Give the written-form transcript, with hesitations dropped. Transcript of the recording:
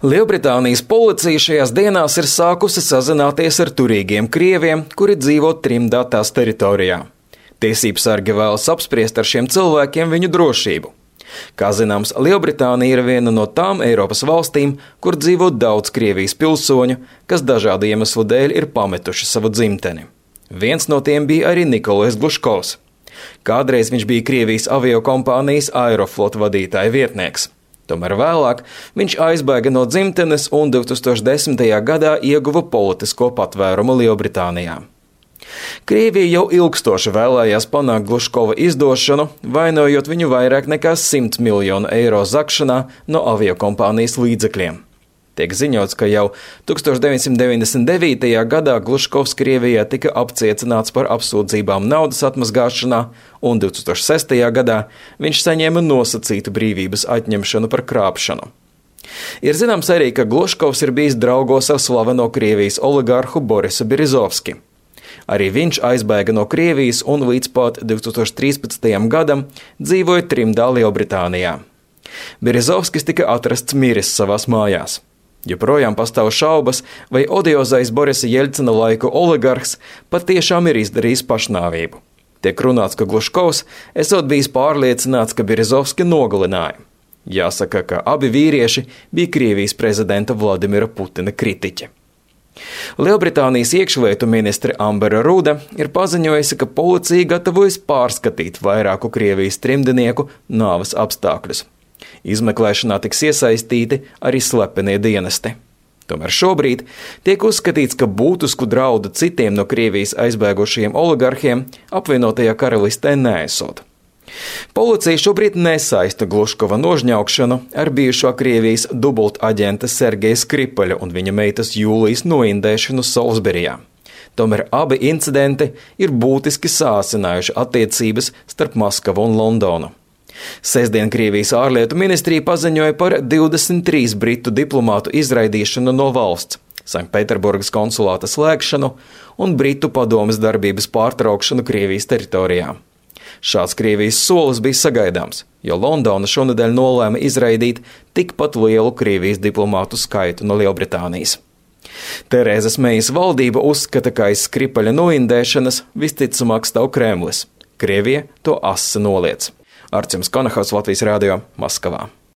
Lielbritānijas policija šajās dienās ir sākusi sazināties ar turīgiem krieviem, kuri dzīvo trimdā tās teritorijā. Tiesībsargi vēlas apspriest ar šiem cilvēkiem viņu drošību. Kā zināms, Lielbritānija ir viena no tām Eiropas valstīm, kur dzīvo daudz Krievijas pilsoņu, kas dažādu iemeslu dēļ ir pametuši savu dzimteni. Viens no tiem bija arī Nikolais Gluškovs. Kādreiz viņš bija Krievijas aviokompānijas Aeroflot vadītāja vietnieks. Tomēr vēlāk viņš aizbēga no dzimtenes un 2010. gadā ieguva politisko patvērumu Lielbritānijā. Krievija jau ilgstoši vēlējās panākt Gluškova izdošanu, vainojot viņu vairāk nekā 100 miljonu eiro zakšanā no aviokompānijas līdzekļiem. Tiek ziņots, ka jau 1999. gadā Gluškovs Krievijā tika apcietināts par apsūdzībām naudas atmazgāšanā, un 2006. gadā viņš saņēma nosacītu brīvības atņemšanu par krāpšanu. Ir zināms arī, ka Gluškovs ir bijis draugos ar slaveno Krievijas oligārhu Borisu Berezovski. Arī viņš aizbēga no Krievijas un līdz pat 2013. gadam dzīvoja trimdā Lielbritānijā. Berezovskis tika atrasts miris savās mājās. Joprojām pastāv šaubas, vai odiozais Borisa Jeļcina laiku oligarhs patiešām ir izdarījis pašnāvību. Tiek runāts, ka Gluškovs esot bijis pārliecināts, ka Berezovski nogalināja. Jāsaka, ka abi vīrieši bija Krievijas prezidenta Vladimira Putina kritiķi. Lielbritānijas iekšlietu ministre Ambera Ruda ir paziņojusi, ka policija gatavojas pārskatīt vairāku Krievijas trimdnieku nāves apstākļus. Izmeklēšanā tiks iesaistīti arī slepenie dienesti. Tomēr šobrīd tiek uzskatīts, ka būtisku draudu citiem no Krievijas aizbēgušajiem oligarhiem apvienotajā karalistē neesot. Policija šobrīd nesaista Gluškova nožņaukšanu ar bijušo Krievijas dubultaģenta Sergeja Skripaļa un viņa meitas Jūlijas noindēšanu Salisburijā. Tomēr abi incidenti ir būtiski sāsinājuši attiecības starp Maskavu un Londonu. Sestdien Krievijas ārlietu ministrija paziņoja par 23 britu diplomātu izraidīšanu no valsts, Sanktpēterburgas konsulāta slēgšanu un Britu padomes darbības pārtraukšanu Krievijas teritorijā. Šāds Krievijas solis bija sagaidāms, jo Londona šonedēļ nolēma izraidīt tikpat lielu Krievijas diplomātu skaitu no Lielbritānijas. Terēzes Mejas valdība uzskata, ka aiz Skripaļa noindēšanas visticamāk stāv Kremlis. Krievija to asi noliedz. Artjums Konahaus, Latvijas radio, Maskavā.